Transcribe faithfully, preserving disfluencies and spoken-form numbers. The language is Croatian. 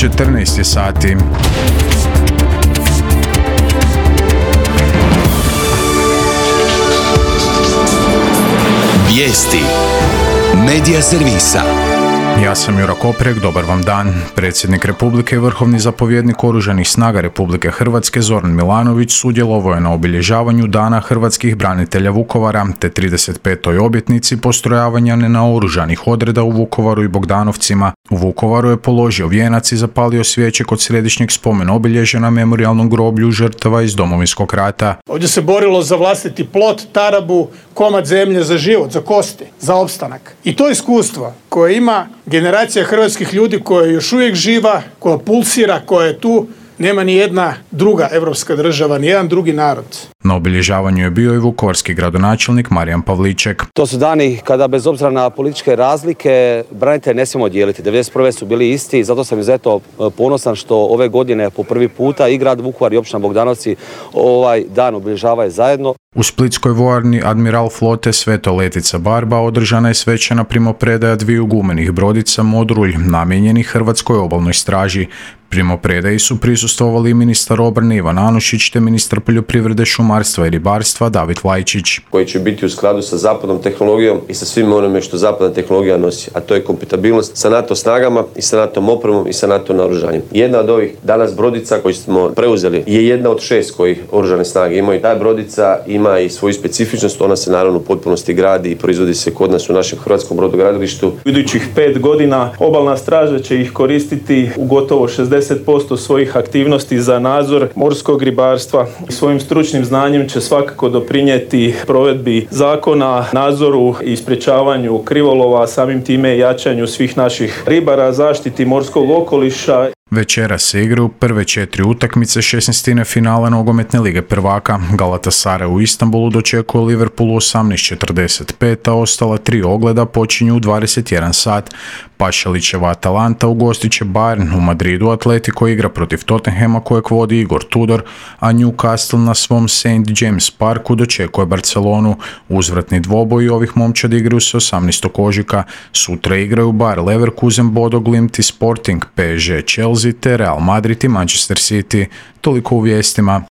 četrnaest je sati. Vijesti Medija servisa. Ja sam Jura Koprek, dobar vam dan. Predsjednik Republike i vrhovni zapovjednik Oružanih snaga Republike Hrvatske Zoran Milanović sudjelovao je na obilježavanju Dana hrvatskih branitelja Vukovara te trideset petoj obljetnici postrojavanja nenaoružanih odreda u Vukovaru i Bogdanovcima. U Vukovaru je položio vijenac i zapalio svijeće kod središnjeg spomen obilježja na memorijalnom groblju žrtava iz Domovinskog rata. Ovdje se borilo za vlastiti plot, tarabu, komad zemlje za život, za kosti, za opstanak. I to iskustvo koje ima generacija hrvatskih ljudi koja je još uvijek živa, koja pulsira, koja je tu, nema ni jedna druga europska država, ni jedan drugi narod. Na obilježavanju je bio i vukovarski gradonačelnik Marijan Pavliček. To su dani kada bez obzira na političke razlike branitelje ne smijemo dijeliti. devedeset prve su bili isti i zato sam izuzetno ponosan što ove godine po prvi puta i grad Vukovar i općina Bogdanovci ovaj dan obilježavaju zajedno. U splitskoj vojarni Admiral flote Sveto Letica Barba održana je svečana primopredaja dviju gumenih brodica Modrulj namijenjenih Hrvatskoj obalnoj straži. Primopredaji su prisustvovali i ministar obrane Ivan Anušić te ministar poljoprivrede, šumarstva i ribarstva David Vlajčić. Koji će biti u skladu sa zapadnom tehnologijom i sa svim onome što zapadna tehnologija nosi, a to je kompatibilnost sa NATO snagama i sa NATO opremom i sa NATO naoružanjem. Jedna od ovih danas brodica koju smo preuzeli je jedna od šest koji oružane snage imaju. Ta brodica ima i svoju specifičnost, ona se naravno u potpunosti gradi i proizvodi se kod nas u našem hrvatskom brodogradilištu. U idućih pet godina obalna straža će ih koristiti u gotovo šezdeset posto svojih aktivnosti za nadzor morskog ribarstva. Svojim stručnim znanjem će svakako doprinijeti provedbi zakona, nadzoru i sprječavanju krivolova, samim time jačanju svih naših ribara, zaštiti morskog okoliša. Večera se igraju prve četiri utakmice šesnaestine finala nogometne lige prvaka. Galatasaray u Istanbulu dočekuje Liverpool u osamnaest četrdeset pet, a ostala tri ogleda počinju u dvadeset jedan sat. Pašalićeva Atalanta ugostit će Bayern, u Madridu Atletico igra protiv Tottenhama kojeg vodi Igor Tudor, a Newcastle na svom Saint James Parku dočekuje Barcelonu. Uzvratni dvoboj ovih momčadi igraju se osamnaestog ožujka. Sutra igraju Bayer Leverkusen, Bodo Glimt i Sporting, P S G, Chelsea te Real Madrid i Manchester City. Toliko u vijestima.